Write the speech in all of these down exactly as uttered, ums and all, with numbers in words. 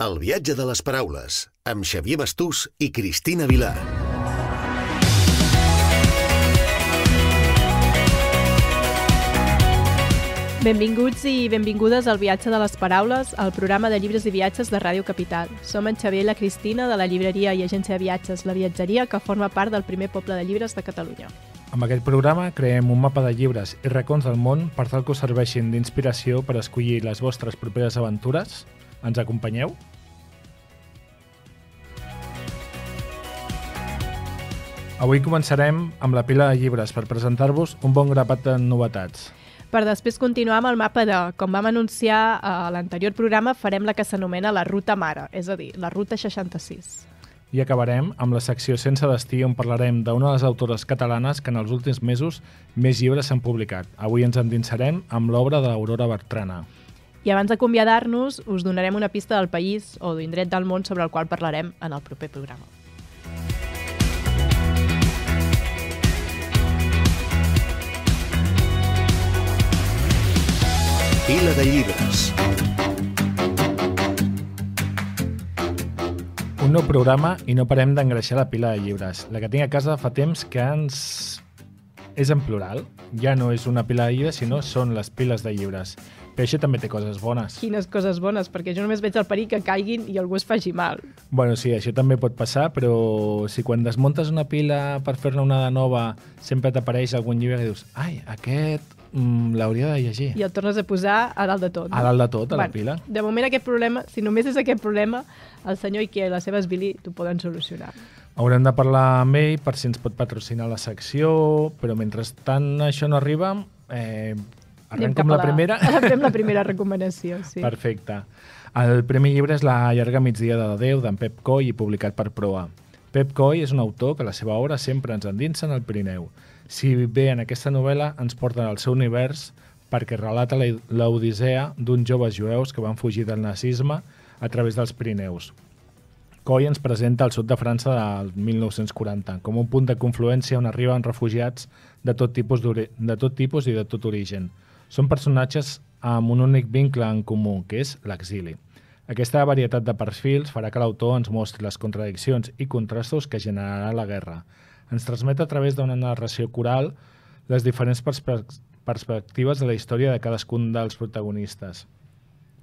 El viatge de les paraules, amb Xavier Bastús i Cristina Vilar. Benvinguts i benvingudes al Viatge de les Paraules, el programa de llibres i viatges de Ràdio Capital. Som en Xavier i la Cristina de la llibreria i agència de viatges La Viatgeria, que forma part del primer poble de llibres de Catalunya. Amb aquest programa creem un mapa de llibres i racons del món per tal que us serveixin d'inspiració per escollir les vostres properes aventures. Ens acompanyeu? Avui començarem amb la pila de llibres per presentar-vos un bon grapat de novetats. Per després continuar amb el mapa de, com vam anunciar a l'anterior programa, farem la que s'anomena la Ruta Mare, és a dir, la Ruta seixanta-sis. I acabarem amb la secció Sense destí, on parlarem d'una de les autores catalanes que en els últims mesos més llibres s'han publicat. Avui ens endinsarem amb l'obra de l'Aurora Bertrana. I abans d'acomiadar-nos, us donarem una pista del país o d'indret del món sobre el qual parlarem en el proper programa. Pila de llibres. Un nou programa i no parem d'engreixar la pila de llibres. La que tinc a casa fa temps que ens... és en plural. Ja no és una pila de llibres, sinó són les piles de llibres. Però això també té coses bones. Quines coses bones, perquè jo només veig el perill que caiguin i algú es faci mal. Bueno, sí, això també pot passar, però si quan desmuntes una pila per fer-ne una de nova sempre t'apareix algun llibre que dius ai, aquest mm, l'hauria de llegir. I el tornes a posar a dalt de tot. No? A dalt de tot, a bueno, la pila. De moment aquest problema, si només és aquest problema, el senyor Ikea i la seva Esbili t'ho poden solucionar. Haurem de parlar amb ell per si ens pot patrocinar la secció, però mentrestant això no arriba... Eh, Arrenco amb la, la primera? Fem la primera recomanació, sí. Perfecte. El primer llibre és La llarga migdia de Déu, d'en Pep Coll, i publicat per Proa. Pep Coll és un autor que la seva obra sempre ens endinsa en el Pirineu. Si bé en aquesta novel·la ens porten al seu univers perquè relata l'odissea d'uns joves jueus que van fugir del nazisme a través dels Pirineus. Coll ens presenta el sud de França del mil nou-cents quaranta com un punt de confluència on arriben refugiats de tot tipus, de tot tipus i de tot origen. Són personatges amb un únic vincle en comú, que és l'exili. Aquesta varietat de perfils farà que l'autor ens mostri les contradiccions i contrastos que generarà la guerra. Ens transmet a través d'una narració coral les diferents perspe- perspectives de la història de cadascun dels protagonistes.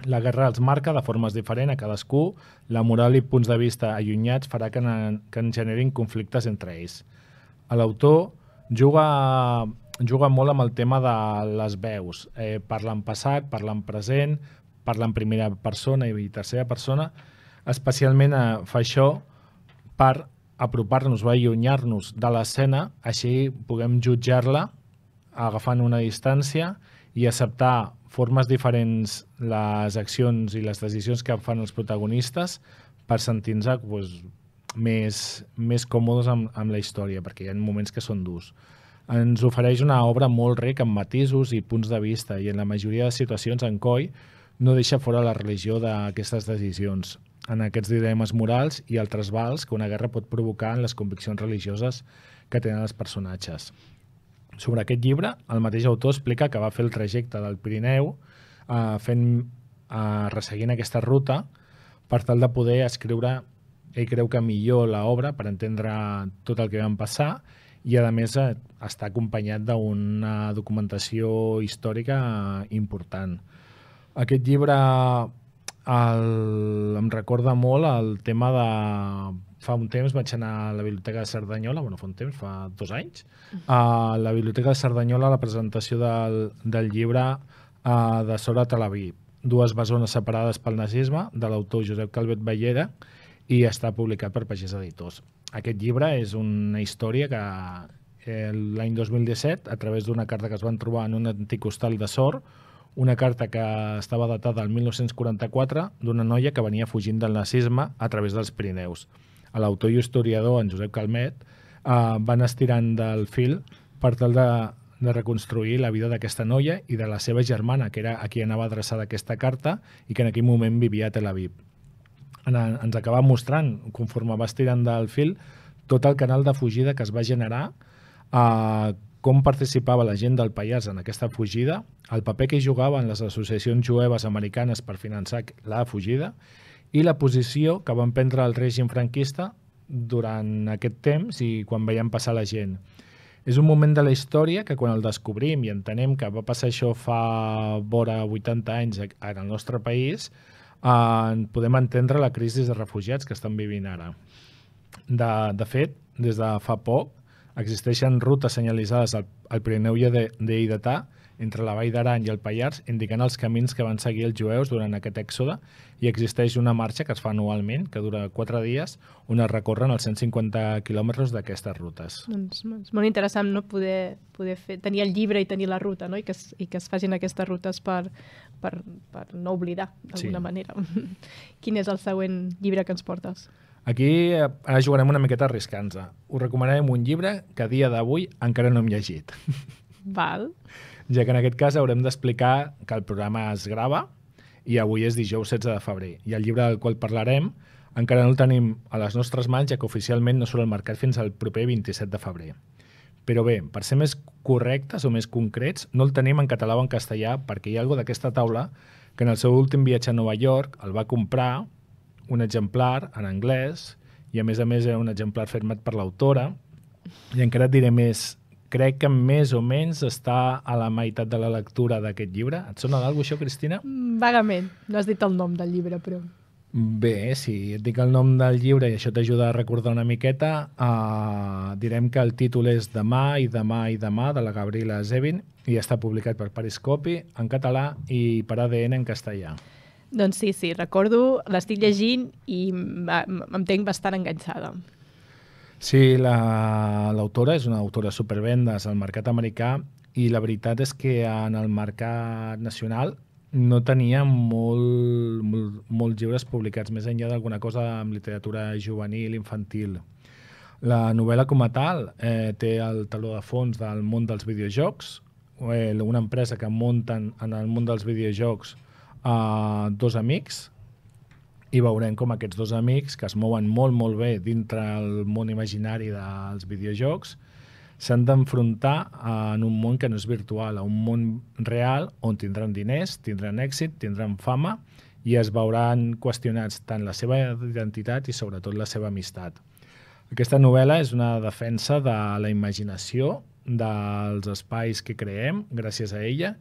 La guerra els marca de formes diferents a cadascú, la moral i punts de vista allunyats farà que, en, que en generin conflictes entre ells. L'autor juga... juga molt amb el tema de les veus. Eh, parla en passat, parla en present, parla en primera persona i tercera persona. Especialment eh, fa això per apropar-nos o allunyar-nos de l'escena, així puguem jutjar-la agafant una distància i acceptar formes diferents les accions i les decisions que fan els protagonistes per sentir-nos pues, més, més còmodes amb, amb la història, perquè hi ha moments que són durs. Ens ofereix una obra molt rica en matisos i punts de vista i en la majoria de situacions en Coll no deixa fora la religió d'aquestes decisions, en aquests dilemes morals i el trasbals que una guerra pot provocar en les conviccions religioses que tenen els personatges. Sobre aquest llibre, el mateix autor explica que va fer el trajecte del Pirineu eh, fent, eh, resseguint aquesta ruta per tal de poder escriure, ell creu que millor l'obra per entendre tot el que van passar i a més està acompanyat d'una documentació històrica important. Aquest llibre el, em recorda molt el tema de... Fa un temps vaig anar a la Biblioteca de Cerdanyola, bueno, fa un temps, fa dos anys, a la Biblioteca de Cerdanyola a la presentació del, del llibre uh, de Sora Talaví, dues bessones separades pel nazisme, de l'autor Josep Calvet Ballera, i està publicat per Pagès Editors. Aquest llibre és una història que eh, l'any dos mil disset, a través d'una carta que es van trobar en un antic hostal de Sort, una carta que estava datada al mil nou-cents quaranta-quatre d'una noia que venia fugint del nazisme a través dels Pirineus. L'autor i historiador, en Josep Calmet, eh, van estirant del fil per tal de, de reconstruir la vida d'aquesta noia i de la seva germana, que era a qui anava adreçada aquesta carta i que en aquell moment vivia a Tel Aviv. Ens acaba mostrant, conforme va estirant del fil, tot el canal de fugida que es va generar, eh, com participava la gent del Pallars en aquesta fugida, el paper que hi jugaven les associacions jueves americanes per finançar la fugida i la posició que van prendre el règim franquista durant aquest temps i quan veiem passar la gent. És un moment de la història que quan el descobrim i entenem que va passar això fa vora vuitanta anys en el nostre país, eh, podem entendre la crisi de refugiats que estan vivint ara. De, de fet, des de fa poc, existeixen rutes senyalitzades al, al Pirineu lleidatà entre la Vall d'Aran i el Pallars, indicant els camins que van seguir els jueus durant aquest èxode, i existeix una marxa que es fa anualment, que dura quatre dies, on es recorren els cent cinquanta quilòmetres d'aquestes rutes. Doncs és molt interessant, no? Poder, poder fer, tenir el llibre i tenir la ruta, no? I, que es, i que es facin aquestes rutes per, per, per no oblidar, d'alguna sí. manera. Quin és el següent llibre que ens portes? Aquí ara jugarem una miqueta arriscant-se. Us recomanarem un llibre que a dia d'avui encara no hem llegit. Val. Ja que en aquest cas haurem d'explicar que el programa es grava i avui és dijous setze de febrer. I el llibre del qual parlarem encara no el tenim a les nostres mans, ja que oficialment no surt al mercat fins al proper vint-i-set de febrer. Però bé, per ser més correctes o més concrets, no el tenim en català o en castellà perquè hi ha algú d'aquesta taula que en el seu últim viatge a Nova York el va comprar un exemplar en anglès i a més a més era un exemplar firmat per l'autora i encara et diré més. Crec que més o menys està a la meitat de la lectura d'aquest llibre. Et sona d'algú això, Cristina? Vagament. No has dit el nom del llibre, però... Bé, si et dic el nom del llibre i això t'ajuda a recordar una miqueta, uh, direm que el títol és Demà i demà i demà, de la Gabriela Zevin, i està publicat per Periscopi en català i per A D N en castellà. Doncs sí, sí, recordo, l'estic llegint i em tenc bastant enganxada. Sí, l'autora la, és una autora supervendes al mercat americà i la veritat és que en el mercat nacional no tenia molt, molt, molts llibres publicats, més enllà d'alguna cosa amb literatura juvenil, infantil. La novel·la com a tal eh, té el taló de fons del món dels videojocs, eh, una empresa que munten en el món dels videojocs eh, dos amics, i veurem com aquests dos amics, que es mouen molt, molt bé dintre el món imaginari dels videojocs, s'han d'enfrontar en un món que no és virtual, a un món real on tindran diners, tindran èxit, tindran fama i es veuran qüestionats tant la seva identitat i sobretot la seva amistat. Aquesta novel·la és una defensa de la imaginació, dels espais que creem gràcies a ella,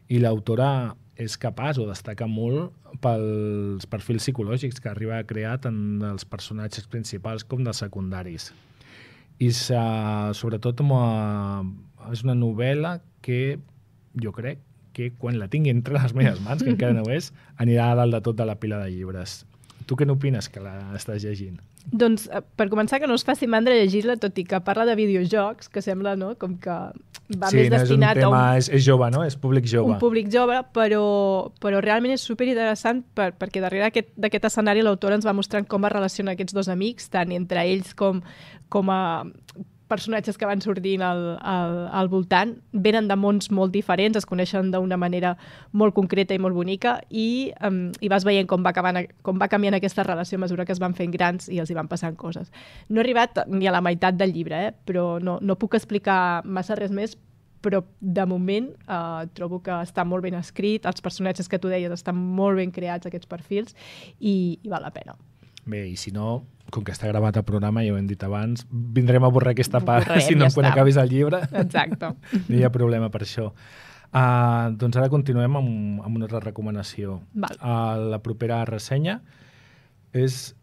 i l'autora és capaç o destaca molt pels perfils psicològics que arriba a crear tant dels personatges principals com dels secundaris. I sobretot és una novel·la que jo crec que quan la tingui entre les meves mans, que encara no és, anirà a dalt de tot de la pila de llibres. Tu què n'opines que l'estàs llegint? Doncs, per començar, que no es faci mandra llegir-la, tot i que parla de videojocs, que sembla, no?, com que va sí, més no destinat és un tema, a un... És, és jove, no? És públic jove. Un públic jove, però, però realment és superinteressant per, perquè darrere d'aquest aquest escenari l'autora ens va mostrant com es relaciona aquests dos amics, tant entre ells com, com a personatges que van sortint al, al, al voltant, venen de mons molt diferents, es coneixen d'una manera molt concreta i molt bonica i, um, i vas veient com va, acabant, com va canviant aquesta relació a mesura que es van fent grans i els hi van passant coses. No he arribat ni a la meitat del llibre, eh? Però no, no puc explicar massa res més, però de moment eh, trobo que està molt ben escrit, els personatges que tu deies estan molt ben creats, aquests perfils, i, i val la pena. Bé, i si no, com que està gravat el programa, ja ho hem dit abans, vindrem a borrar aquesta part, Borrem, si no ja quan està. acabis el llibre. Exacte. No hi ha problema per això. Uh, doncs ara continuem amb, amb una altra recomanació. Val. Uh, la propera ressenya és...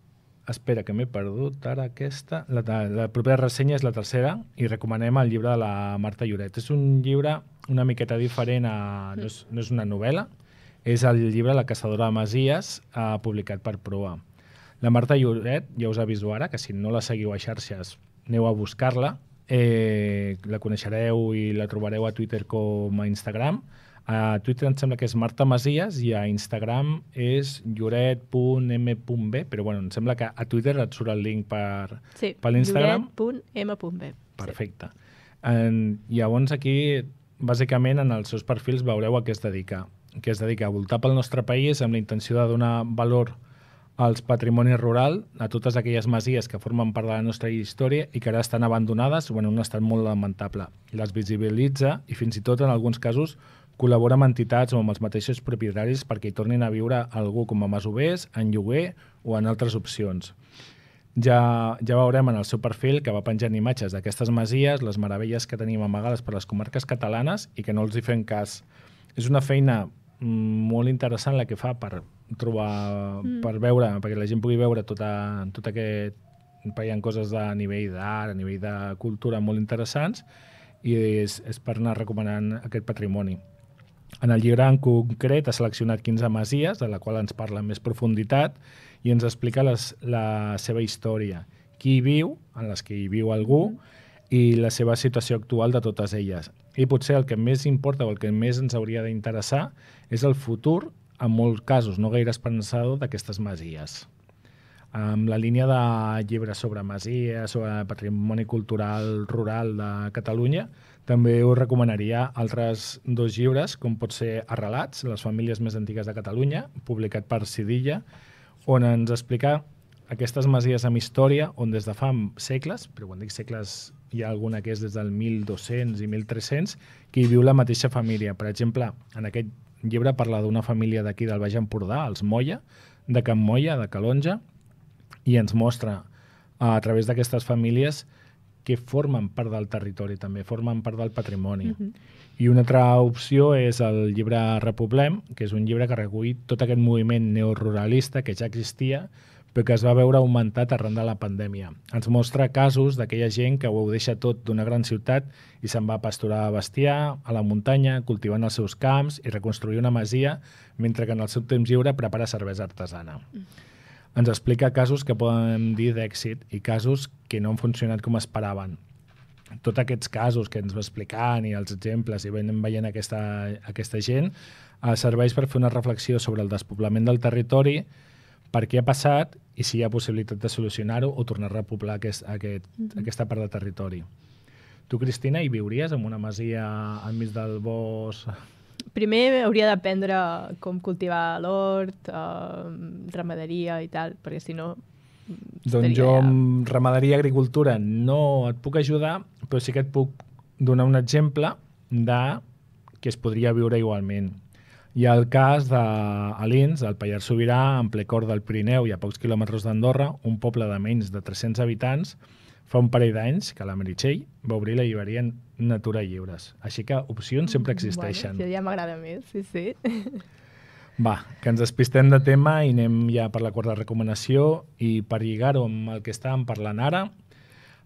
Espera, que m'he perdut ara aquesta. La, la propera ressenya és la tercera i recomanem el llibre de la Marta Lloret. És un llibre una miqueta diferent, a, no, és, no és una novel·la, és el llibre La caçadora de masies, uh, publicat per Proa. La Marta Lloret, ja us aviso ara, que si no la seguiu a xarxes, aneu a buscar-la. Eh, la coneixereu i la trobareu a Twitter com a Instagram. A Twitter em sembla que és Marta Masies i a Instagram és lloret punt eme punt be, però bueno, em sembla que a Twitter et surt el link per, sí, per l'Instagram. lloret punt eme punt be. Perfecte. Sí. En, llavors aquí, bàsicament, en els seus perfils veureu a què es dedica. Que es dedica a voltar pel nostre país amb la intenció de donar valor als patrimonis rural, a totes aquelles masies que formen part de la nostra història i que ara estan abandonades o en un estat molt lamentable. Les visibilitza i fins i tot en alguns casos col·labora amb entitats o amb els mateixos propietaris perquè hi tornin a viure algú com a masovers, en lloguer o en altres opcions. Ja, ja veurem en el seu perfil que va penjant imatges d'aquestes masies, les meravelles que tenim amagades per les comarques catalanes i que no els hi fem cas. És una feina molt interessant la que fa per trobar, mm. per veure, perquè la gent pugui veure tota, tot aquest... hi ha coses a nivell d'art, a nivell de cultura molt interessants i és, és per anar recomanant aquest patrimoni. En el llibre en concret ha seleccionat quinze masies, de la qual ens parla amb més profunditat i ens explica les, la seva història, qui hi viu, en les que hi viu algú, i la seva situació actual de totes elles. I potser el que més importa o el que més ens hauria d'interessar és el futur, en molts casos no gaire esperançador, d'aquestes masies. Amb la línia de llibres sobre masies, sobre patrimoni cultural rural de Catalunya, també us recomanaria altres dos llibres, com pot ser Arrelats, les famílies més antigues de Catalunya, publicat per Sidilla, on ens explica aquestes masies amb història, on des de fa segles, però quan dic segles hi ha alguna que és des del mil dos-cents i mil tres-cents, que hi viu la mateixa família. Per exemple, en aquest llibre parla d'una família d'aquí del Baix Empordà, els Moya, de Can Moya, de Calonja, i ens mostra a través d'aquestes famílies que formen part del territori també, formen part del patrimoni. Uh-huh. I una altra opció és el llibre Repoblem, que és un llibre que recull tot aquest moviment neoruralista que ja existia, però que es va veure augmentat arran de la pandèmia. Ens mostra casos d'aquella gent que ho deixa tot d'una gran ciutat i se'n va a pasturar a bestiar, a la muntanya, cultivant els seus camps i reconstruir una masia, mentre que en el seu temps lliure prepara cervesa artesana. Uh-huh. Ens explica casos que podem dir d'èxit i casos que no han funcionat com esperaven. Tots aquests casos que ens va explicant i els exemples i veiem veient aquesta, aquesta gent eh, serveix per fer una reflexió sobre el despoblament del territori, per què ha passat i si hi ha possibilitat de solucionar-ho o tornar a repoblar aquest, aquest, mm-hmm. aquesta part de territori. Tu, Cristina, hi viuries en una masia enmig del bosc? Primer hauria d'aprendre com cultivar l'hort, eh, ramaderia i tal, perquè si no... Doncs jo amb ramaderia i agricultura no et puc ajudar, però sí que et puc donar un exemple de que es podria viure igualment. Hi ha el cas d'Alins, al Pallars Sobirà, en ple cor del Pirineu i a pocs quilòmetres d'Andorra, un poble de menys de tres-cents habitants, fa un parell d'anys que la Meritxell va obrir la llibreria Natura i Llibres. Així que opcions sempre existeixen. Bueno, ja m'agrada més, sí, sí. Va, que ens despistem de tema i anem ja per la quarta recomanació i per lligar-ho amb el que estàvem parlant ara,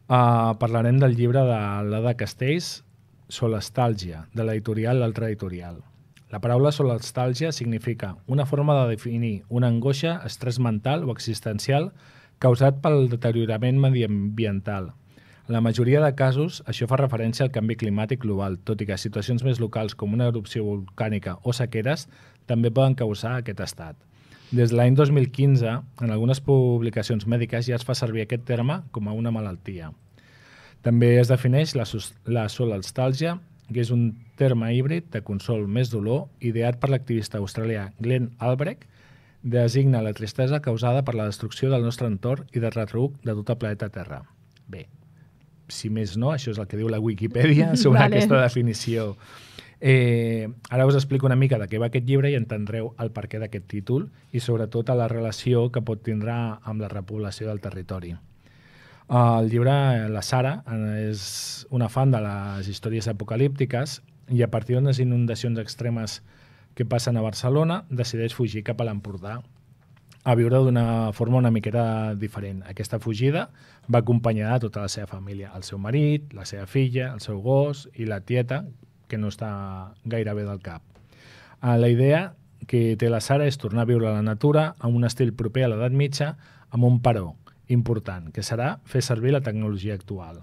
uh, parlarem del llibre de l'Ada Castells, Solestàlgia, de l'editorial L'Altra Editorial. La paraula solestàlgia significa una forma de definir una angoixa, estrès mental o existencial causat pel deteriorament mediambiental. En la majoria de casos, això fa referència al canvi climàtic global, tot i que situacions més locals com una erupció volcànica o sequeres també poden causar aquest estat. Des de l'any dos mil quinze, en algunes publicacions mèdiques ja es fa servir aquest terme com a una malaltia. També es defineix la, la solestàlgia, que és un terme híbrid de consol més dolor, ideat per l'activista australià Glenn Albrecht, designa la tristesa causada per la destrucció del nostre entorn i de retruc de tot el planeta Terra. Bé, si més no, això és el que diu la Wikipedia sobre vale. Aquesta definició. Eh, ara us explico una mica de què va aquest llibre i entendreu el perquè d'aquest títol i sobretot a la relació que pot tindre amb la repoblació del territori. El llibre, la Sara, és una fan de les històries apocalíptiques i a partir d'unes inundacions extremes que passen a Barcelona, decideix fugir cap a l'Empordà a viure d'una forma una miqueta diferent. Aquesta fugida va acompanyada de tota la seva família, el seu marit, la seva filla, el seu gos i la tieta, que no està gaire bé del cap. La idea que té la Sara és tornar a viure a la natura amb un estil proper a l'edat mitja, amb un però important, que serà fer servir la tecnologia actual.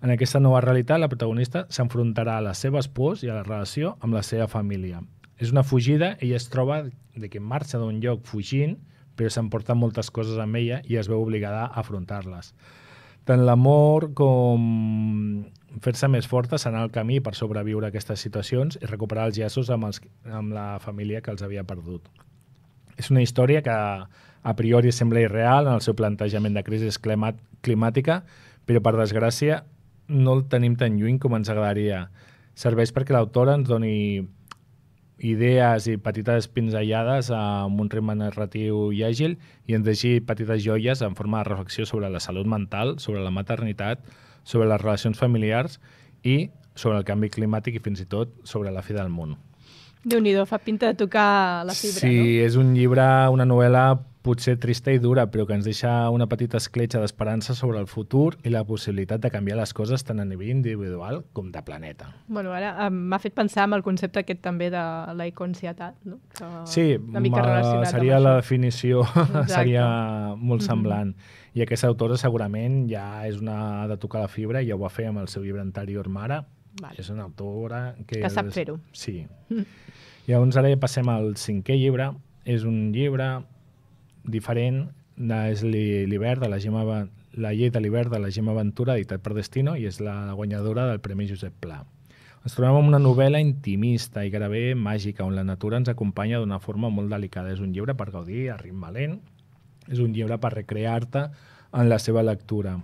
En aquesta nova realitat, la protagonista s'enfrontarà a les seves pors i a la relació amb la seva família. És una fugida, ella es troba de que marxa d'un lloc fugint, però s'emporten moltes coses amb ella i es veu obligada a afrontar-les. Tant l'amor com fer-se més forta serà el camí per sobreviure a aquestes situacions i recuperar els llaços amb, els, amb la família que els havia perdut. És una història que a priori sembla irreal en el seu plantejament de crisi climàtica, però per desgràcia no el tenim tan lluny com ens agradaria. Serveix perquè l'autora ens doni idees i petites pinzellades amb un ritme narratiu i àgil i ens deixi petites joies en forma de reflexió sobre la salut mental, sobre la maternitat, sobre les relacions familiars i sobre el canvi climàtic i fins i tot sobre la fi del món. Déu-n'hi-do, fa pinta de tocar la fibra, sí, no? Sí, és un llibre, una novel·la potser trista i dura, però que ens deixa una petita escletxa d'esperança sobre el futur i la possibilitat de canviar les coses tant a nivell individual com de planeta. Bueno, ara m'ha fet pensar en el concepte aquest també de la econsietat, no? Que sí, una mica relacionat seria amb la això. definició, Exacte. seria molt semblant. Mm-hmm. I aquesta autora segurament ja és una de tocar la fibra, ja ho va fer amb el seu llibre anterior Mare. Vale. És una autora que... Que sap és... fer-ho. Sí. Mm. Llavors ara ja passem al cinquè llibre. És un llibre diferent, és l'hivern de la Gemma, la llei de l'hivern de la Gemma Ventura, editat per Destino, i és la guanyadora del Premi Josep Pla. Ens trobem amb una novel·la intimista i gairebé màgica, on la natura ens acompanya d'una forma molt delicada. És un llibre per gaudir a ritme lent, és un llibre per recrear-te en la seva lectura.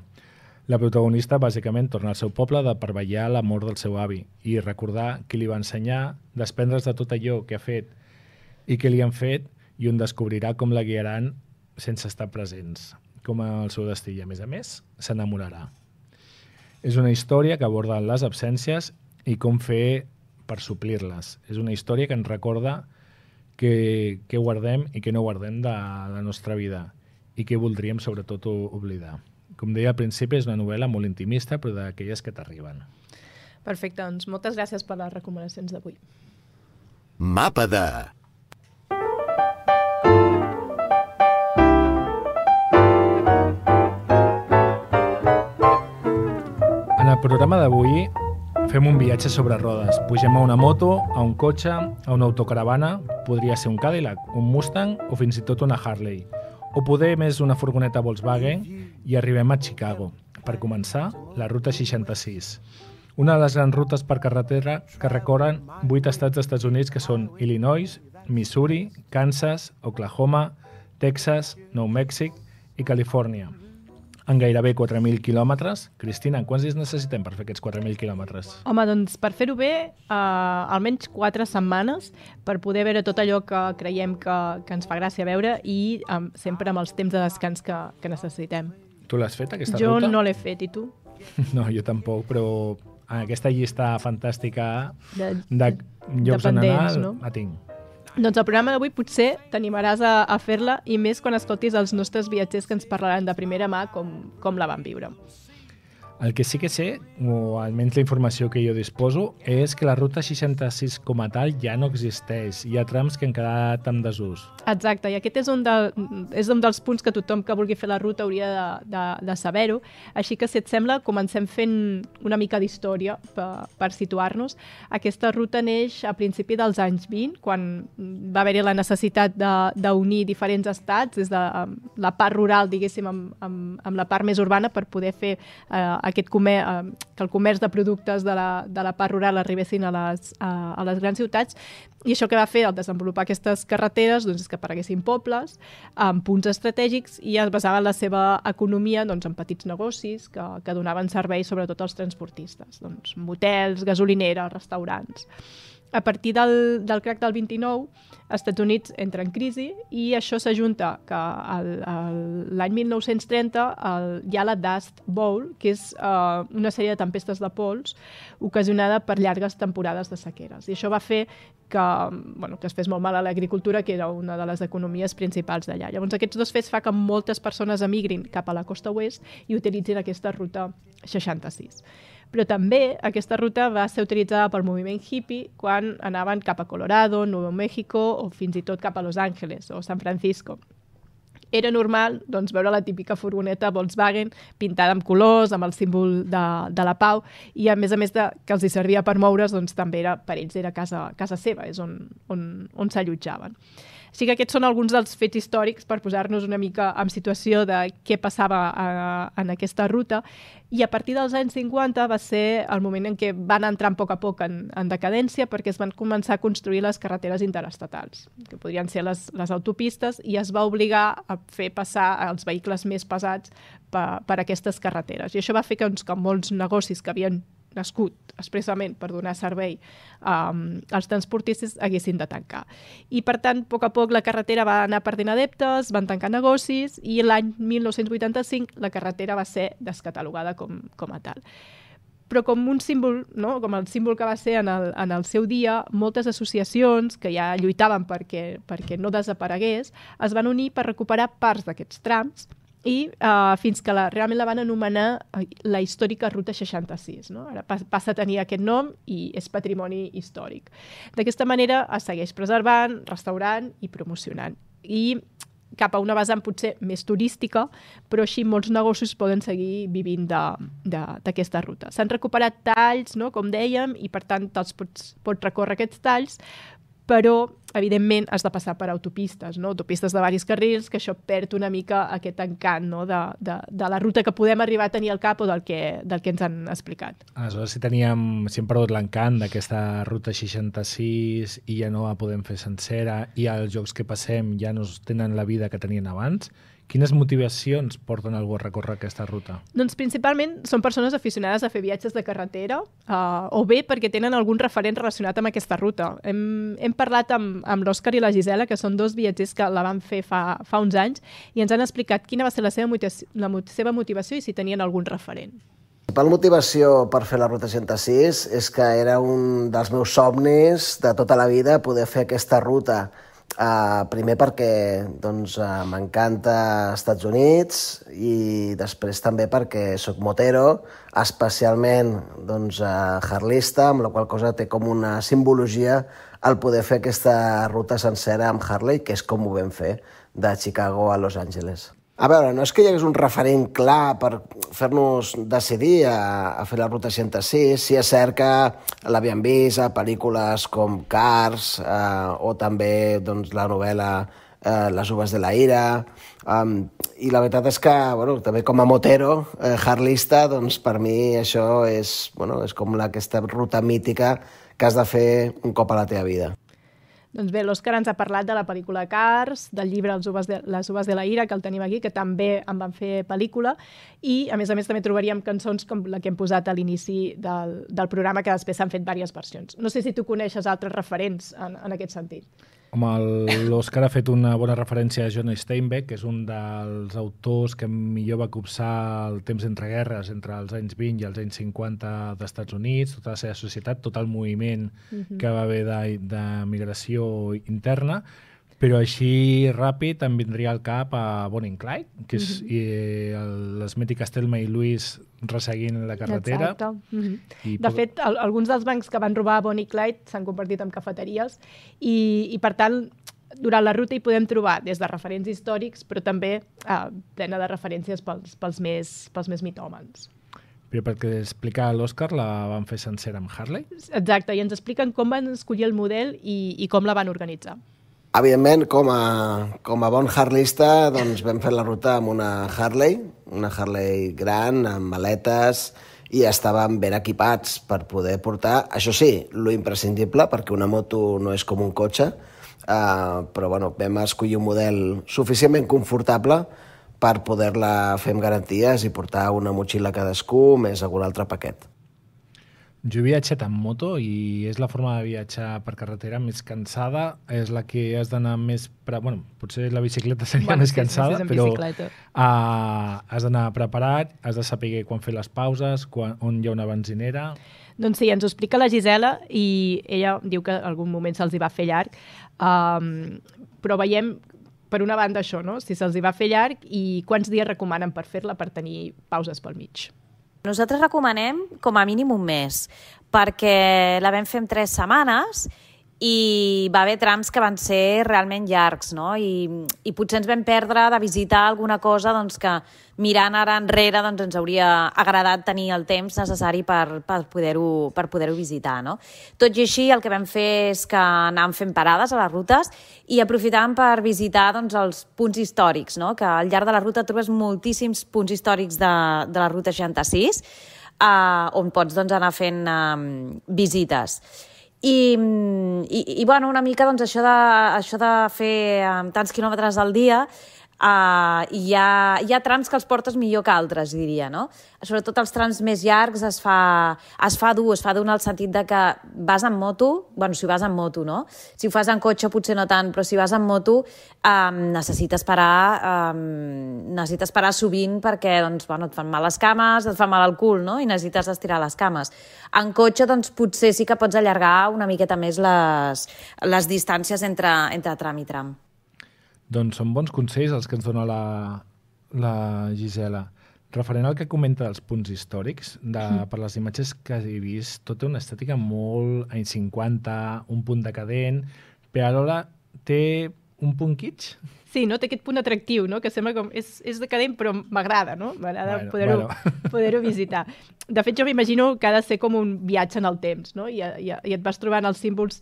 La protagonista bàsicament torna al seu poble de per vetllar la mort del seu avi i recordar qui li va ensenyar, desprendre's de tot allò que ha fet i que li han fet, i on descobrirà com la guiaran sense estar presents, com el seu destí, i a més a més s'enamorarà. És una història que aborda les absències i com fer per suplir-les. És una història que ens recorda què guardem i què no guardem de la nostra vida i què voldríem sobretot oblidar. Com deia al principi, és una novel·la molt intimista, però d'aquelles que t'arriben. Perfecte, doncs moltes gràcies per les recomanacions d'avui. Mapa de... En el programa d'avui fem un viatge sobre rodes. Pugem a una moto, a un cotxe, a una autocaravana, podria ser un Cadillac, un Mustang o fins i tot una Harley. O poder més una furgoneta Volkswagen i arribem a Chicago. Per començar, la ruta seixanta-sis. Una de les grans rutes per carretera que recorren vuit estats dels Estats Units que són Illinois, Missouri, Kansas, Oklahoma, Texas, Nou Mèxic i Califòrnia. En gairebé quatre mil quilòmetres. Cristina, quants dies necessitem per fer aquests quatre mil quilòmetres? Home, doncs per fer-ho bé, eh, almenys quatre setmanes per poder veure tot allò que creiem que, que ens fa gràcia veure i um, sempre amb els temps de descans que, que necessitem. Tu l'has fet, aquesta jo ruta? Jo no l'he fet, i tu? No, jo tampoc, però en aquesta llista fantàstica de, de, de llocs on anar, no? la tinc. Doncs el programa d'avui potser t'animaràs a, a fer-la i més quan escoltis els nostres viatgers que ens parlaran de primera mà com, com la van viure. El que sí que sé, o almenys la informació que jo disposo, és que la ruta seixanta-sis com a tal ja no existeix. Hi ha trams que han quedat en desús. Exacte, i aquest és un, de, és un dels punts que tothom que vulgui fer la ruta hauria de, de, de saber-ho. Així que, si et sembla, comencem fent una mica d'història per, per situar-nos. Aquesta ruta neix a principi dels anys vint, quan va haver-hi la necessitat d'unir diferents estats, des de la part rural, diguéssim, amb, amb, amb la part més urbana, per poder fer eh, aquest comer, eh, que el comerç de productes de la, de la part rural arribessin a les, a, a les grans ciutats. I això que va fer al desenvolupar aquestes carreteres doncs, és que apareguessin pobles amb punts estratègics i es basava la seva economia doncs, en petits negocis que, que donaven servei sobretot als transportistes, doncs, motels, gasolineres, restaurants. A partir del, del crac del vint-i-nou, els Estats Units entra en crisi i això s'ajunta que l'any mil nou-cents trenta el, hi ha la Dust Bowl, que és uh, una sèrie de tempestes de pols ocasionada per llargues temporades de sequeres. I això va fer que, bueno, que es fes molt mal a l'agricultura, que era una de les economies principals d'allà. Llavors aquests dos fets fa que moltes persones emigrin cap a la costa oest i utilitzin aquesta ruta seixanta-sis. Però també aquesta ruta va ser utilitzada pel moviment hippie quan anaven cap a Colorado, Nou México o fins i tot cap a Los Angeles o San Francisco. Era normal doncs, veure la típica furgoneta Volkswagen pintada amb colors, amb el símbol de, de la pau, i a més a més de, que els hi servia per moure's, doncs, també era, per ells era casa, casa seva, és on, on, on s'allotjaven. Així que aquests són alguns dels fets històrics per posar-nos una mica en situació de què passava a, en aquesta ruta, i a partir dels anys cinquanta va ser el moment en què van entrar a poc a poc en, en decadència perquè es van començar a construir les carreteres interestatals, que podrien ser les, les autopistes, i es va obligar a fer passar els vehicles més pesats per, per aquestes carreteres. I això va fer que, doncs, que molts negocis que havien nascut expressament per donar servei um, als transportistes, haguessin de tancar. I, per tant, a poc a poc la carretera va anar perdent adeptes, van tancar negocis i l'any mil nou-cents vuitanta-cinc la carretera va ser descatalogada com, com a tal. Però com un símbol, no? Com el símbol que va ser en el, en el seu dia, moltes associacions que ja lluitaven perquè, perquè no desaparegués es van unir per recuperar parts d'aquests trams i uh, fins que la, realment la van anomenar la històrica Ruta seixanta-sis. No? Ara passa a tenir aquest nom i és patrimoni històric. D'aquesta manera es segueix preservant, restaurant i promocionant. I cap a una vessant potser més turística, però així molts negocis poden seguir vivint d'aquesta ruta. S'han recuperat talls, no? Com dèiem, i per tant te'ls pots, pots recórrer aquests talls, però, evidentment, has de passar per autopistes, no? Autopistes de diversos carrils, que això perd una mica aquest encant, no? de, de, de la ruta que podem arribar a tenir al cap o del que, del que ens han explicat. Aleshores, si teníem, si hem perdut l'encant d'aquesta ruta seixanta-sis i ja no la podem fer sencera i els jocs que passem ja no tenen la vida que tenien abans, quines motivacions porten algú a recórrer aquesta ruta? Doncs principalment són persones aficionades a fer viatges de carretera uh, o bé perquè tenen algun referent relacionat amb aquesta ruta. Hem, hem parlat amb, amb l'Òscar i la Gisela, que són dos viatgers que la van fer fa, fa uns anys, i ens han explicat quina va ser la seva motivació, la seva motivació i si tenien algun referent. La principal motivació per fer la Ruta seixanta-sis és que era un dels meus somnis de tota la vida poder fer aquesta ruta. Uh, primer perquè doncs, uh, m'encanta Estats Units i després també perquè soc motero, especialment doncs, uh, harlista, amb la qual cosa té com una simbologia el poder fer aquesta ruta sencera amb Harley, que és com ho vam fer de Chicago a Los Angeles. A veure, no és que hi hagués un referent clar per fer-nos decidir a, a fer la Ruta seixanta-sis. Sí, és cert que l'havíem vist a pel·lícules com Cars eh, o també doncs, la novel·la eh, Les uves de la ira. Um, I la veritat és que, bueno, també com a motero, eh, harlista, doncs per mi això és, bueno, és com la, aquesta ruta mítica que has de fer un cop a la teva vida. Doncs bé, l'Òscar ens ha parlat de la pel·lícula Cars, del llibre Les uves de, Les uves de la ira, que el tenim aquí, que també en van fer pel·lícula, i a més a més també trobaríem cançons com la que hem posat a l'inici del, del programa, que després s'han fet diverses versions. No sé si tu coneixes altres referents en, en aquest sentit. Home, l'Òscar ha fet una bona referència a John Steinbeck, que és un dels autors que millor va copsar el temps entre guerres, entre els anys vint i els anys cinquanta d'Estats Units, tota la seva societat, tot el moviment uh-huh. que va haver de, de migració interna, però així ràpid em vindria al cap a Bonnie and Clyde, que és uh-huh. i, el, les mítiques Thelma i Louise resseguint la carretera. Exacte. Uh-huh. I de fet, el, alguns dels bancs que van robar Bonnie i Clyde s'han convertit en cafeteries i, i per tant, durant la ruta hi podem trobar des de referents històrics, però també eh, plena de referències pels, pels, més, pels més mitòmans. Però perquè explicar l'Òscar la van fer sencera amb Harley? Exacte, i ens expliquen com van escollir el model i, i com la van organitzar. Evidentment, com a, com a bon harlista, doncs vam fer la ruta amb una Harley, una Harley gran, amb maletes, i estàvem ben equipats per poder portar, això sí, lo imprescindible, perquè una moto no és com un cotxe, eh, però bueno, vam escollir un model suficientment confortable per poder-la fer amb garanties i portar una motxilla cadascú més algun altre paquet. Jo he viatjat en moto i és la forma de viatjar per carretera més cansada, és la que has d'anar més... Pre... Bueno, potser la bicicleta seria bueno, més sí, cansada, sí, però uh, has d'anar preparat, has de saber quan fer les pauses, quan, on hi ha una benzinera... Doncs sí, ens ho explica la Gisela i ella diu que en algun moment se'ls hi va fer llarg, um, però veiem per una banda això, no? Si se'ls hi va fer llarg i quants dies recomanen per fer-la per tenir pauses pel mig. Nosaltres recomanem com a mínim un mes, perquè la vam fer en tres setmanes i va haver trams que van ser realment llargs, no? I, i potser ens vam perdre de visitar alguna cosa doncs, que mirant ara enrere doncs, ens hauria agradat tenir el temps necessari per, per poder-ho per poder-ho visitar, no? Tot i així, el que vam fer és que anàvem fent parades a les rutes i aprofitàvem per visitar doncs, els punts històrics, no? Que al llarg de la ruta trobes moltíssims punts històrics de, de la Ruta seixanta-sis eh, on pots doncs, anar fent eh, visites. I, i, i bueno, una mica doncs, això, de, això de fer um, tants quilòmetres al dia Uh, hi, ha, hi ha trams que els portes millor que altres, diria, no? Sobretot els trams més llargs es fa, es fa dur, es fa dur en el sentit de que vas en moto, bueno, si vas en moto, no? Si ho fas en cotxe potser no tant, però si vas en moto um, necessites parar, um, necessites parar sovint perquè doncs, bueno, et fan mal les cames, et fa mal el cul, no? I necessites estirar les cames. En cotxe doncs, potser sí que pots allargar una miqueta més les, les distàncies entre, entre tram i tram. Doncs són bons consells els que ens dona la, la Gisela. Referent al que comenta dels punts històrics, de, per les imatges que he vist, tot té una estètica molt anys cinquanta, un punt decadent, però alhora té un punt kitsch. Sí, no? Té aquest punt atractiu, no? Que sembla com... És, és decadent, però m'agrada, no? M'agrada bueno, poder-ho bueno. poder-ho visitar. De fet, jo m'imagino que ha de ser com un viatge en el temps, no? I, i, i et vas trobant els símbols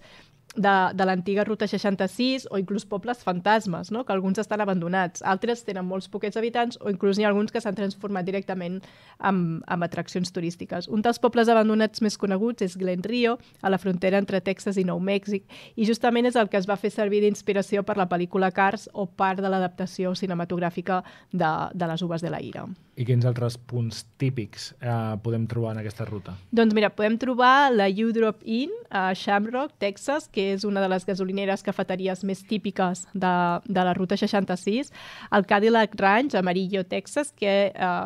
de, de l'antiga Ruta seixanta-sis o inclús pobles fantasmes, no? Que alguns estan abandonats, altres tenen molts poquets habitants o inclús n'hi ha alguns que s'han transformat directament en, en atraccions turístiques. Un dels pobles abandonats més coneguts és Glen Rio, a la frontera entre Texas i Nou Mèxic, i justament és el que es va fer servir d'inspiració per la pel·lícula Cars o part de l'adaptació cinematogràfica de, de les Uves de la Ira. I quins altres punts típics eh, podem trobar en aquesta ruta? Doncs mira, podem trobar la U-Drop Inn a Shamrock, Texas, que és una de les gasolineres cafeteries més típiques de, de la Ruta seixanta-sis, el Cadillac Ranch, a Amarillo, Texas, que eh,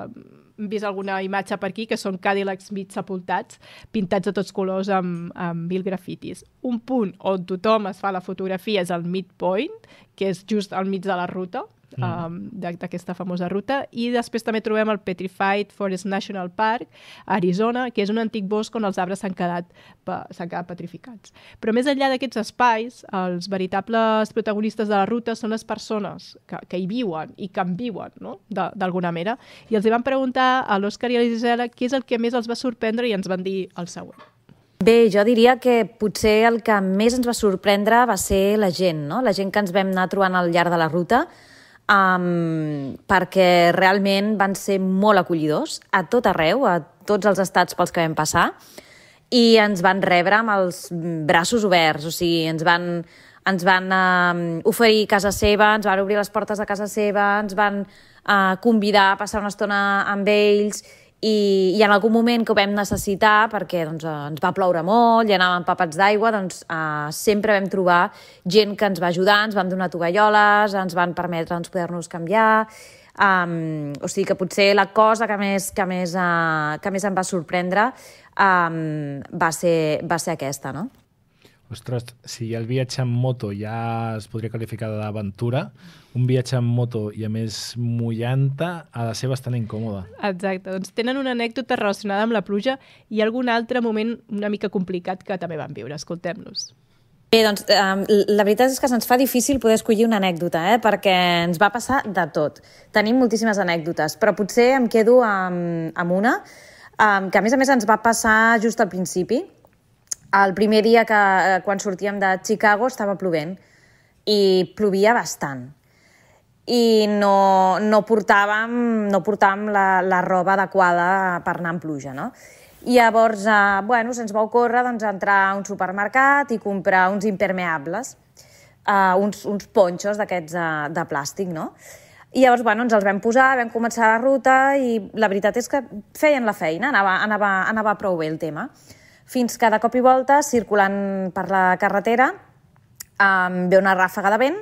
hem vist alguna imatge per aquí, que són Cadillacs mig sepultats, pintats de tots colors amb, amb mil grafitis. Un punt on tothom es fa la fotografia és el Midpoint, que és just al mig de la ruta, Mm. Um, d'aquesta famosa ruta, i després també trobem el Petrified Forest National Park a Arizona, que és un antic bosc on els arbres s'han quedat, s'han quedat petrificats. Però més enllà d'aquests espais, els veritables protagonistes de la ruta són les persones que, que hi viuen i que en viuen, no? D'alguna manera, i els hi van preguntar a l'Òscar i a la Gisela què és el que més els va sorprendre i ens van dir el següent. Bé, jo diria que potser el que més ens va sorprendre va ser la gent, no? La gent que ens vam anar trobant al llarg de la ruta, Um, perquè realment van ser molt acollidors a tot arreu, a tots els estats pels que vam passar, i ens van rebre amb els braços oberts, o sigui, ens van, ens van uh, oferir casa seva, ens van obrir les portes de casa seva, ens van uh, convidar a passar una estona amb ells, i, i en algun moment que ho vam necessitar, perquè doncs, ens va ploure molt i anàvem empapats d'aigua, doncs eh, sempre vam trobar gent que ens va ajudar, ens van donar tovalloles, ens van permetre ens poder-nos canviar, um, o sigui que potser la cosa que més, que més, uh, que més em va sorprendre um, va, ser, va ser aquesta, no? Ostres, si el viatge en moto ja es podria qualificar d'aventura, un viatge en moto i a més mullant-te ha de ser bastant incòmode. Exacte, doncs tenen una anècdota relacionada amb la pluja i algun altre moment una mica complicat que també van viure. Escoltem-los. Bé, doncs eh, la veritat és que se'ns fa difícil poder escollir una anècdota, eh, perquè ens va passar de tot. Tenim moltíssimes anècdotes, però potser em quedo amb, amb una eh, que a més a més ens va passar just al principi. El primer dia que quan sortíem de Chicago estava plovent i plovia bastant i no, no portàvem, no portàvem la, la roba adequada per anar en pluja, no? I llavors, eh, bueno, se'ns va ocórrer doncs, entrar a un supermercat i comprar uns impermeables, eh, uns, uns ponxos d'aquests de, de plàstic, no? I llavors, bueno, ens els vam posar, vam començar la ruta i la veritat és que feien la feina, anava, anava, anava prou bé el tema. Fins que de cop i volta, circulant per la carretera, um, ve una ràfaga de vent,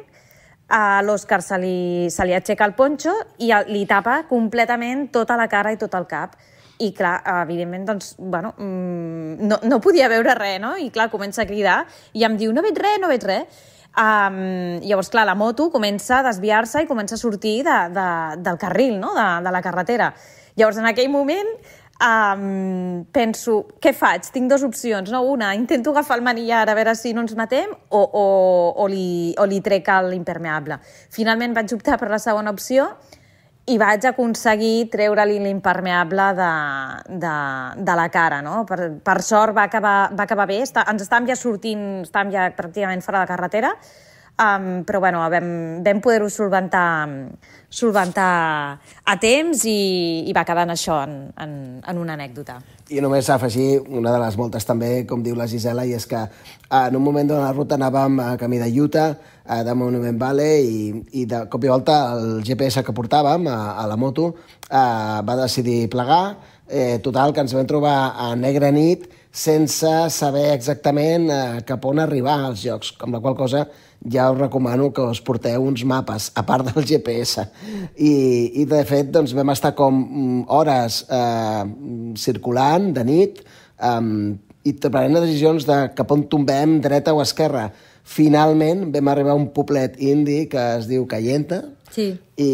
a l'Òscar se li, se li aixeca el ponxo i li tapa completament tota la cara i tot el cap. I clar, evidentment, doncs, bueno, no, no podia veure res, no? I clar, comença a cridar i em diu, no veig res, no veig res. Um, llavors, clar, la moto comença a desviar-se i comença a sortir de, de, del carril, no? de, de la carretera. Llavors, en aquell moment, Um, penso, què faig? Tinc dues opcions, no? Una, intento agafar el manillar a veure si no ens matem o, o, o, li, o li trec l'impermeable. Finalment vaig optar per la segona opció i vaig aconseguir treure-li l'impermeable de, de, de la cara, no? Per, per sort va acabar, va acabar bé, Està, ens estàvem ja sortint, estàvem ja pràcticament fora de carretera, um, però bueno, vam, vam poder-ho solventar, solventar a temps i, i va quedar en això, en, en, en una anècdota. I només afegir una de les moltes també, com diu la Gisela, i és que en un moment de la ruta anàvem a camí de Utah, de Monument Valley, i, i de cop i volta el G P S que portàvem a, a la moto eh, va decidir plegar. Eh, total, que ens vam trobar a negra nit sense saber exactament eh, cap on arribar als llocs, amb la qual cosa ja us recomano que us porteu uns mapes, a part del G P S. I, i de fet, doncs, vam estar com hores eh, circulant de nit eh, i prenent decisions de cap on tombem, dreta o esquerra. Finalment vam arribar a un poblet indi que es diu Cayenta, sí. i,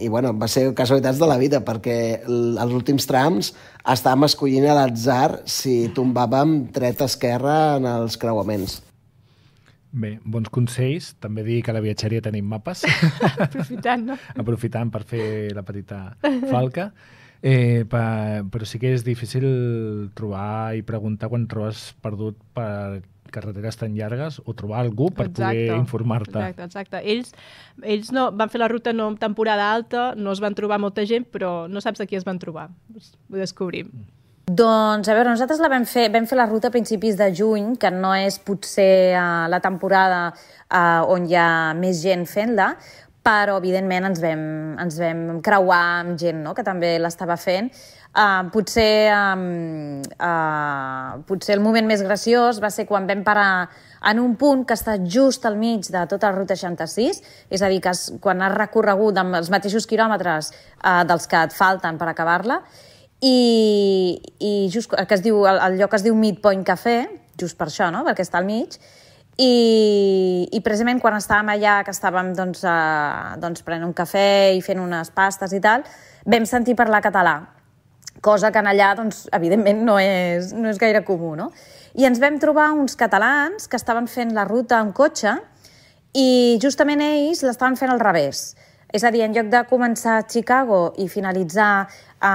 i bueno, va ser casualitats de la vida, perquè els últims trams estàvem escollint a l'atzar si tombàvem dreta-esquerra en els creuaments. Bé, bons consells. També dir que a la viatgeria tenim mapes. Aprofitant, no? Aprofitant per fer la petita falca. Eh, per, però sí que és difícil trobar i preguntar quan trobes perdut per carreteres tan llargues o trobar algú per exacte, poder informar-te. Exacte, exacte. Ells, ells no, van fer la ruta no en temporada alta, no es van trobar molta gent, però no saps a qui es van trobar. Ho descobrim. Doncs, a veure, nosaltres la vam fer, vam fer la ruta a principis de juny, que no és potser uh, la temporada uh, on hi ha més gent fent-la, però evidentment ens vam, ens vam creuar amb gent, no?, que també l'estava fent. Uh, potser, um, uh, potser el moment més graciós va ser quan vam parar en un punt que està just al mig de tota la ruta seixanta-sis, és a dir, que has, quan has recorregut amb els mateixos quilòmetres uh, dels que et falten per acabar-la, i, i just, que es diu, el, el lloc es diu Midpoint Café, just per això, no?, perquè està al mig, i, i precisament quan estàvem allà, que estàvem doncs, uh, doncs, prenent un cafè i fent unes pastes i tal, vam sentir parlar català, cosa que en allà, doncs, evidentment, no és, no és gaire comú, no? I ens vam trobar uns catalans que estaven fent la ruta en cotxe i justament ells l'estaven fent al revés. És a dir, en lloc de començar a Chicago i finalitzar a,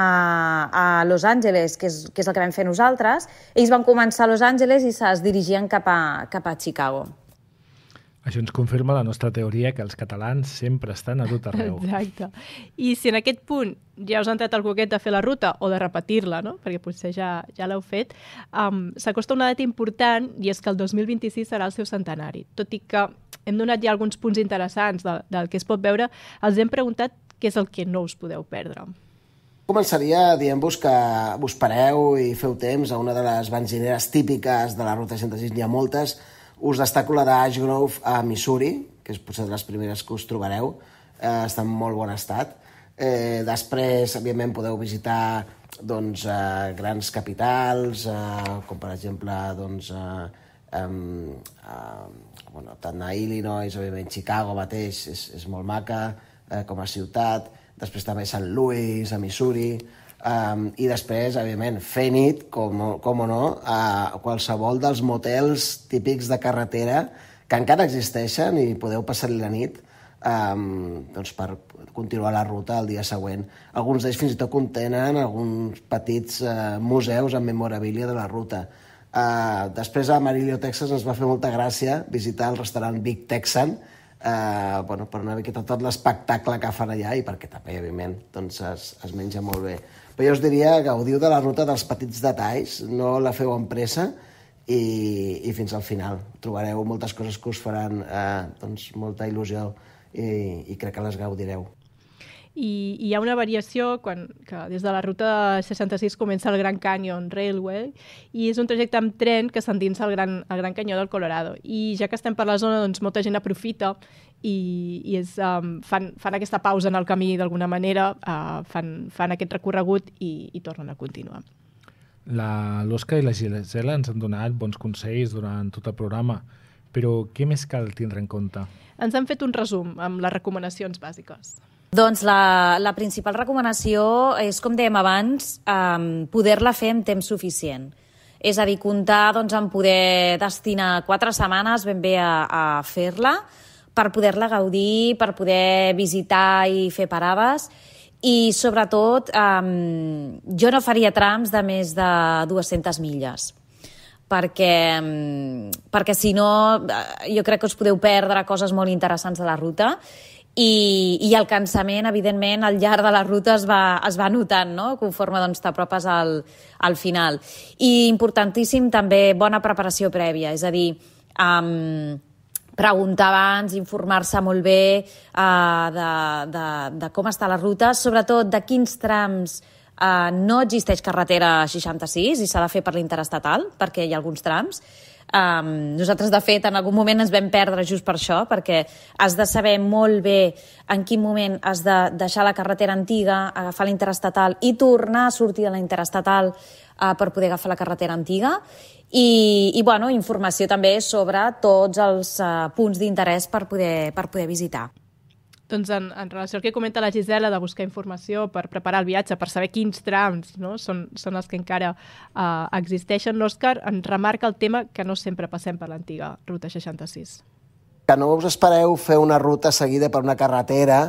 a Los Angeles, que és, que és el que vam fer nosaltres, ells van començar a Los Angeles i es dirigien cap a, cap a Chicago. Això ens confirma la nostra teoria que els catalans sempre estan a tot arreu. Exacte. I si en aquest punt ja us ha entrat el coquet de fer la ruta o de repetir-la, no?, perquè potser ja, ja l'heu fet, um, s'acosta una data important i és que el dos mil vint-i-sis serà el seu centenari. Tot i que hem donat ja alguns punts interessants de, del que es pot veure, els hem preguntat què és el que no us podeu perdre. Començaria dient-vos que us pareu i feu temps a una de les benzineres típiques de la ruta seixanta-sis, n'hi ha moltes. Us destaco la d'Ash Grove a Missouri, que és potser de les primeres que us trobareu. Eh, està en molt bon estat. Eh, després, evidentment, podeu visitar doncs, eh, grans capitals, eh, com per exemple, doncs, eh, eh, eh, bueno, tant a Illinois, òbviament, Chicago mateix és, és molt maca eh, com a ciutat. Després també Saint Louis, a Missouri. Um, I després, evidentment, fer nit, com, com o no, a qualsevol dels motels típics de carretera que encara existeixen i podeu passar-hi la nit um, doncs per continuar la ruta el dia següent. Alguns d'ells fins i tot contenen alguns petits uh, museus amb memorabilia de la ruta. Uh, després a Amarillo, Texas, ens va fer molta gràcia visitar el restaurant Big Texan, uh, bueno, per una miqueta tot l'espectacle que fan allà i perquè també, evidentment, doncs es, es menja molt bé. Però jo us diria, gaudiu de la ruta dels petits detalls, no la feu amb pressa i, i fins al final. Trobareu moltes coses que us faran eh, doncs, molta il·lusió i, i crec que les gaudireu. I hi ha una variació quan, que des de la ruta seixanta-sis comença el Grand Canyon Railway i és un trajecte amb tren que s'endinsa al Gran, al Gran Canyó del Colorado. I ja que estem per la zona, doncs molta gent aprofita i, i és, um, fan, fan aquesta pausa en el camí d'alguna manera, uh, fan, fan aquest recorregut i, i tornen a continuar. L'Òscar i la Gisela ens han donat bons consells durant tot el programa, però què més cal tindre en compte? Ens han fet un resum amb les recomanacions bàsiques. Doncs la, la principal recomanació és, com dèiem abans, um, poder-la fer en temps suficient. És a dir, comptar doncs, en poder destinar quatre setmanes ben bé a, a fer-la, per poder-la gaudir, per poder visitar i fer parades. I, sobretot, um, jo no faria trams de més de dues-centes milles. perquè, perquè si no jo crec que us podeu perdre coses molt interessants de la ruta i, i el cansament, evidentment, al llarg de la ruta es va, es va notant, no? Conforme doncs, t'apropes al, al final. I importantíssim també bona preparació prèvia, és a dir, um, preguntar abans, informar-se molt bé uh, de, de, de com està la ruta, sobretot de quins trams uh, no existeix carretera seixanta-sis i s'ha de fer per l'interestatal, perquè hi ha alguns trams. Um, nosaltres, de fet, en algun moment ens vam perdre just per això, perquè has de saber molt bé en quin moment has de deixar la carretera antiga, agafar l'interestatal i tornar a sortir de la interestatal uh, per poder agafar la carretera antiga. I, i bueno, informació també sobre tots els uh, punts d'interès per poder, per poder visitar. Doncs en, en relació al que comenta la Gisela de buscar informació per preparar el viatge, per saber quins trams, no? són, són els que encara uh, existeixen, l'Òscar ens remarca el tema que no sempre passem per l'antiga Ruta seixanta-sis. Que no us espereu fer una ruta seguida per una carretera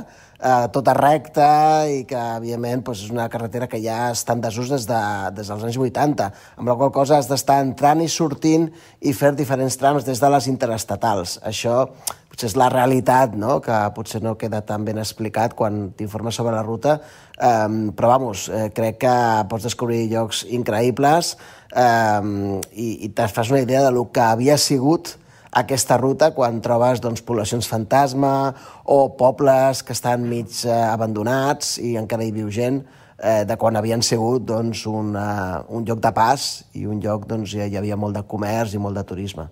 eh, tota recta i que, evidentment, doncs, és una carretera que ja està en desús des, de, des dels anys vuitanta, amb la qual cosa has d'estar entrant i sortint i fer diferents trams des de les interestatals. Això potser és la realitat, no?, que potser no queda tan ben explicat quan t'informes sobre la ruta, eh, però, vamos, eh, crec que pots descobrir llocs increïbles eh, i, i te fas una idea del que havia sigut aquesta ruta quan trobes doncs, poblacions fantasma o pobles que estan mig eh, abandonats i encara hi viu gent eh, de quan havien sigut doncs, un, uh, un lloc de pas i un lloc doncs, hi havia molt de comerç i molt de turisme.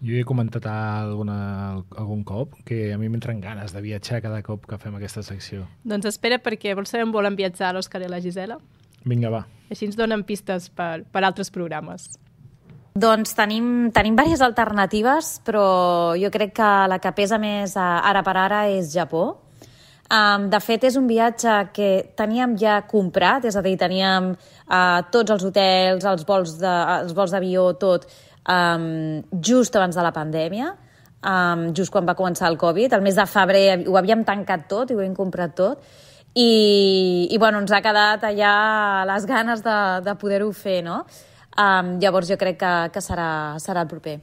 Jo he comentat alguna, algun cop que a mi m'entren ganes de viatjar cada cop que fem aquesta secció. Doncs espera, perquè vols saber on volen viatjar l'Òscar i la Gisela? Vinga, va. Així ens donen pistes per, per altres programes. Doncs tenim, tenim diverses alternatives, però jo crec que la que pesa més ara per ara és Japó. Um, de fet, és un viatge que teníem ja comprat, és a dir, teníem uh, tots els hotels, els vols de, els vols d'avió, tot, um, just abans de la pandèmia, um, just quan va començar el Covid. El mes de febrer ho havíem tancat tot i ho havíem comprat tot. I, i bueno, ens ha quedat allà les ganes de, de poder-ho fer, no? Um, llavors jo crec que, que serà, serà el proper.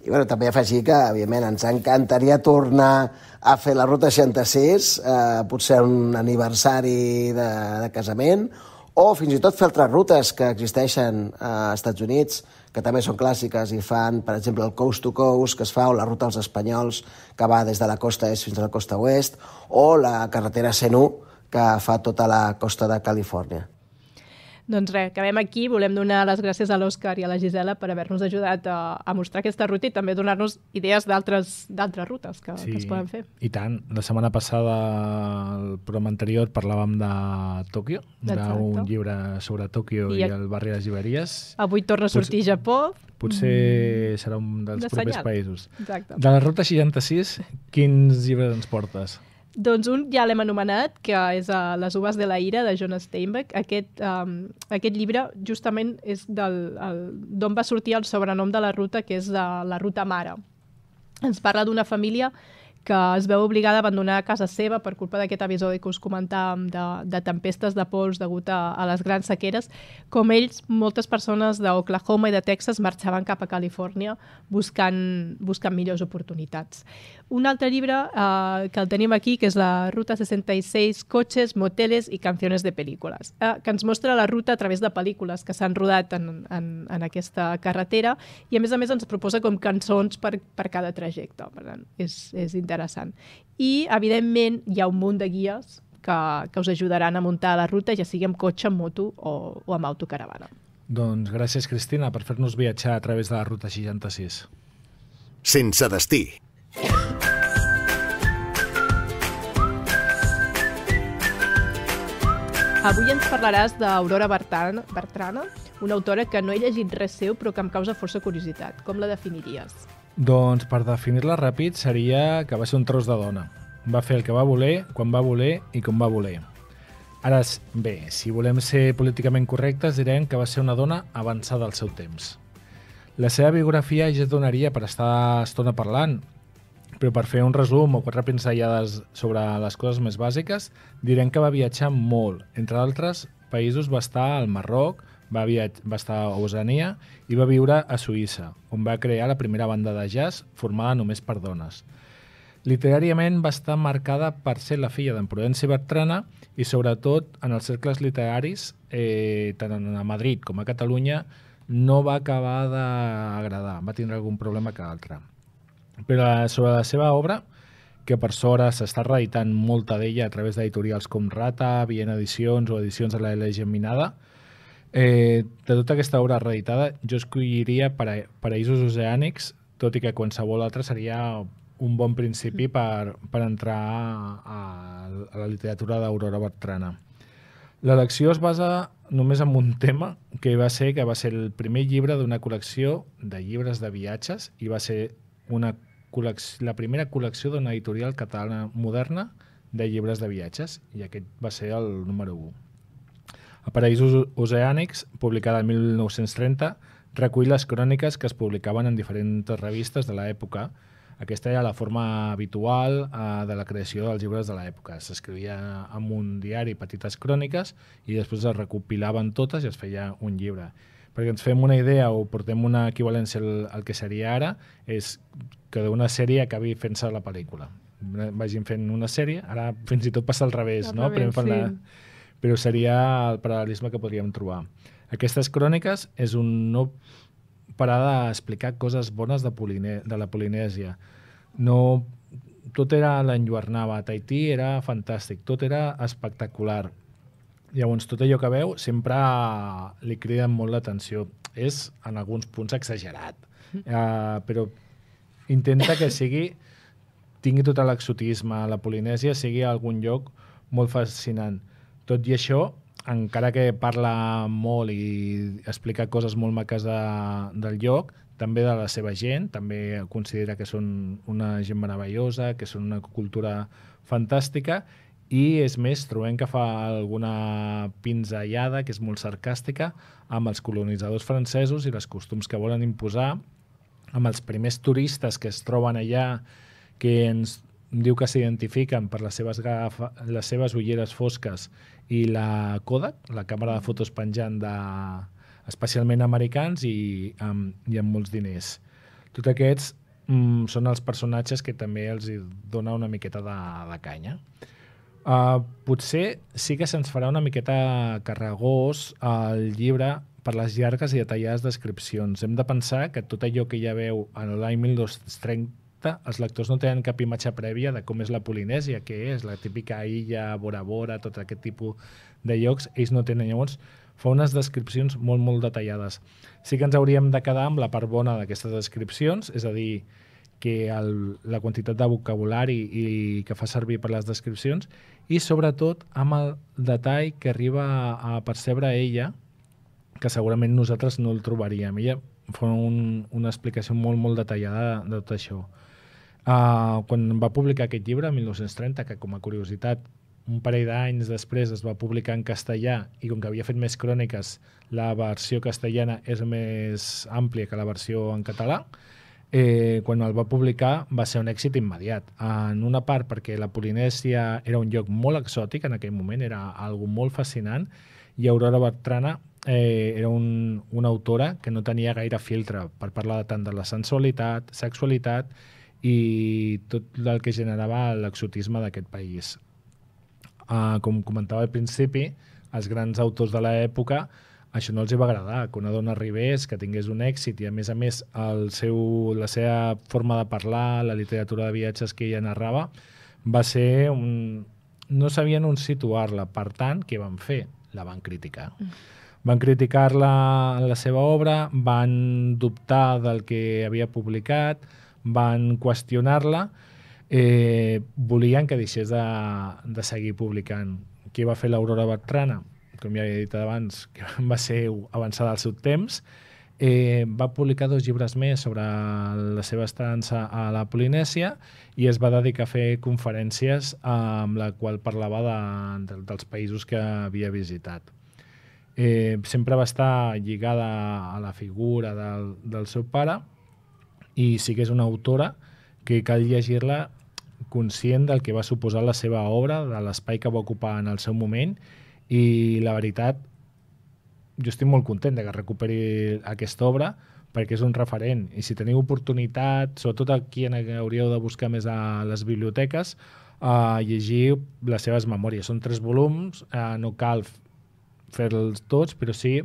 I bueno, també afegir que, evidentment, ens encantaria tornar a fer la Ruta seixanta-sis, eh, potser un aniversari de, de casament, o fins i tot fer altres rutes que existeixen als Estats Units, que també són clàssiques i fan, per exemple, el Coast to Coast, que es fa, o la Ruta dels Espanyols, que va des de la costa est fins a la costa oest, o la carretera C N U, que fa tota la costa de Califòrnia. Doncs res, acabem aquí. Volem donar les gràcies a l'Òscar i a la Gisela per haver-nos ajudat a, a mostrar aquesta ruta i també donar-nos idees d'altres d'altres rutes que, sí, que es poden fer. I tant. La setmana passada, el programa anterior, parlàvem de Tòquio, d'un llibre sobre Tòquio i, i el barri de les llibreries. Avui torna a sortir potser, Japó. Potser mm, serà un dels de propers senyal. Països. Exacte. De la Ruta seixanta-sis, quins llibres ens portes? Doncs un ja l'hem anomenat, que és uh, Les uvas de la ira, de John Steinbeck. Aquest, um, aquest llibre justament és d'on va sortir el sobrenom de la ruta, que és de la Ruta Mare. Ens parla d'una família que es veu obligada a abandonar casa seva per culpa d'aquest episodi que us comentàvem de, de tempestes de pols degut a, a les grans sequeres. Com ells, moltes persones d'Oklahoma i de Texas marxaven cap a Califòrnia buscant, buscant millors oportunitats. Un altre llibre eh, que el tenim aquí, que és la Ruta seixanta-sis, Cotxes, moteles i canciones de pel·lícules, eh, que ens mostra la ruta a través de pel·lícules que s'han rodat en, en, en aquesta carretera i, a més a més, ens proposa com cançons per, per cada trajecte. Per tant, és, és interessant. I, evidentment, hi ha un munt de guies que, que us ajudaran a muntar la ruta, ja sigui amb cotxe, amb moto o, o amb autocaravana. Doncs gràcies, Cristina, per fer-nos viatjar a través de la Ruta seixanta-sis. Sense destí. Avui ens parlaràs d'Aurora Bertrana, una autora que no he llegit res seu però que em causa força curiositat. Com la definiries? Doncs per definir-la ràpid seria que va ser un tros de dona. Va fer el que va voler, quan va voler i com va voler. Ara, bé, si volem ser políticament correctes, direm que va ser una dona avançada al seu temps. La seva biografia ja es donaria per estar estona parlant, però per fer un resum o quatre pinzellades sobre les coses més bàsiques, direm que va viatjar molt. Entre altres països va estar al Marroc, va, viatge, va estar a Oceania i va viure a Suïssa, on va crear la primera banda de jazz formada només per dones. Literàriament va estar marcada per ser la filla d'en Prudenci Bertrana i sobretot en els cercles literaris, eh, tant a Madrid com a Catalunya, no va acabar d'agradar, va tindre algun problema que altre. Però sobre la seva obra, que per sort s'està reeditant molta d'ella a través d'editorials com Rata, Viena Edicions o edicions de la L Geminada, eh, de tota aquesta obra reeditada jo escolliria para Paraïsos Oceànics, tot i que qualsevol altre seria un bon principi per, per entrar a, a la literatura d'Aurora Bertrana. L'elecció es basa només en un tema, que va ser que va ser el primer llibre d'una col·lecció de llibres de viatges i va ser una la primera col·lecció d'una editorial catalana moderna de llibres de viatges, i aquest va ser el número u. A Paraïsos Oceànics, publicada el mil nou-cents trenta, recull les cròniques que es publicaven en diferents revistes de l'època. Aquesta era la forma habitual eh, de la creació dels llibres de l'època. S'escrivia en un diari petites cròniques i després es recopilaven totes i es feia un llibre. Perquè ens fem una idea o portem una equivalència al, al que seria ara, és que d'una sèrie acabi fent-se la pel·lícula. Vagin fent una sèrie, ara fins i tot passa al revés, no? Revés, sí. la... Però seria el paral·lelisme que podríem trobar. Aquestes cròniques és un no parar d'explicar coses bones de, Poline... de la Polinèsia. No... Tot era l'enlluernava, a Tahití era fantàstic, tot era espectacular. Llavors, tot allò que veu sempre li crida molt l'atenció. És, en alguns punts, exagerat. Uh, però intenta que sigui, tingui tot l'exotisme, la Polinèsia sigui algun lloc molt fascinant. Tot i això, encara que parla molt i explica coses molt maques de, del lloc, també de la seva gent, també considera que són una gent meravellosa, que són una cultura fantàstica, i és més, trobem que fa alguna pinzellada que és molt sarcàstica amb els colonitzadors francesos i els costums que volen imposar, amb els primers turistes que es troben allà, que ens diu que s'identifiquen per les seves, gafa, les seves ulleres fosques i la Kodak, la càmera de fotos penjant de, especialment americans i amb, i amb molts diners. Tots aquests mm, són els personatges que també els dona una miqueta de, de canya. Uh, potser sí que se'ns farà una miqueta carregós el llibre per les llargues i detallades descripcions. Hem de pensar que tot allò que ja veu en l'any mil dos-cents trenta, els lectors no tenen cap imatge prèvia de com és la Polinèsia, que és la típica illa, Bora Bora, tot aquest tipus de llocs. Ells no tenen, llavors fa unes descripcions molt, molt detallades. Sí que ens hauríem de quedar amb la part bona d'aquestes descripcions, és a dir, que el, la quantitat de vocabulari i que fa servir per les descripcions i sobretot amb el detall que arriba a, a percebre ella, que segurament nosaltres no el trobaríem. Ella fa un, una explicació molt, molt detallada de, de tot això. Uh, quan va publicar aquest llibre, mil nou-cents trenta, que com a curiositat un parell d'anys després es va publicar en castellà i com que havia fet més cròniques, la versió castellana és més àmplia que la versió en català, eh, quan el va publicar va ser un èxit immediat. En una part perquè la Polinèsia era un lloc molt exòtic en aquell moment, era algo molt fascinant, i Aurora Bertrana eh, era un, una autora que no tenia gaire filtre per parlar tant de la sensualitat, sexualitat i tot el que generava l'exotisme d'aquest país. Uh, com comentava al principi, els grans autors de l'època això no els hi va agradar, que una dona arribés, que tingués un èxit i a més a més el seu, la seva forma de parlar, la literatura de viatges que ella narrava, va ser un... no sabien on situar-la. Per tant, què van fer? La van criticar. Mm. Van criticar-la en la seva obra, van dubtar del que havia publicat, van qüestionar-la, eh, volien que deixés de, de seguir publicant. Què va fer l'Aurora Bertrana? Com ja he dit abans, que va ser avançada al seu temps, eh, va publicar dos llibres més sobre la seva estança a la Polinèsia i es va dedicar a fer conferències amb la qual parlava de, de, dels països que havia visitat. Eh, sempre va estar lligada a la figura del, del seu pare i sí que és una autora que cal llegir-la conscient del que va suposar la seva obra, de l'espai que va ocupar en el seu moment, i la veritat jo estic molt content de que recuperi aquesta obra, perquè és un referent. I si teniu oportunitat, sobretot aquí en què hauríeu de buscar més a les biblioteques, a llegir les seves memòries. Són tres volums, eh, no cal fer-los tots, però sí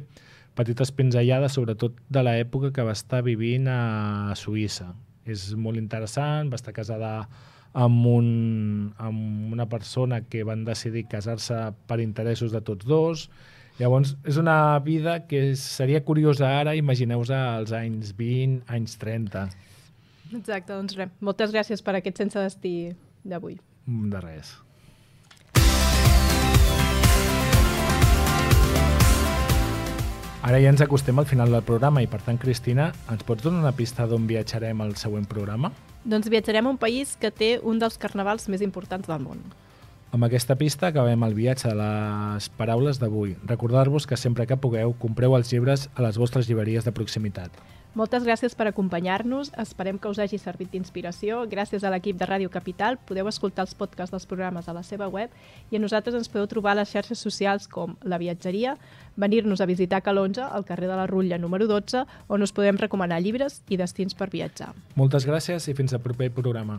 petites pinzellades, sobretot de l'època que va estar vivint a Suïssa. És molt interessant, va estar casada amb, un, amb una persona que van decidir casar-se per interessos de tots dos. Llavors, és una vida que seria curiosa ara, imagineu-vos als anys vint, anys trenta. Exacte, doncs res. Moltes gràcies per aquest Sense Destí d'avui. De res. Ara ja ens acostem al final del programa i, per tant, Cristina, ens pots donar una pista d'on viatjarem al següent programa? Doncs viatjarem a un país que té un dels carnavals més importants del món. Amb aquesta pista acabem el viatge de les paraules d'avui. Recordar-vos que sempre que pugueu compreu els llibres a les vostres llibreries de proximitat. Moltes gràcies per acompanyar-nos. Esperem que us hagi servit d'inspiració. Gràcies a l'equip de Ràdio Capital podeu escoltar els podcasts dels programes a la seva web i a nosaltres ens podeu trobar a les xarxes socials com La Viatgeria, venir-nos a visitar Calonge, al carrer de la Rutlla número dotze, on us podem recomanar llibres i destins per viatjar. Moltes gràcies i fins al proper programa.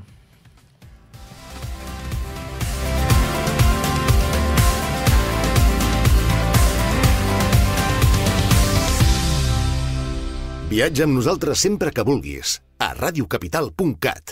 Viatja amb nosaltres sempre que vulguis a radiocapital punt cat.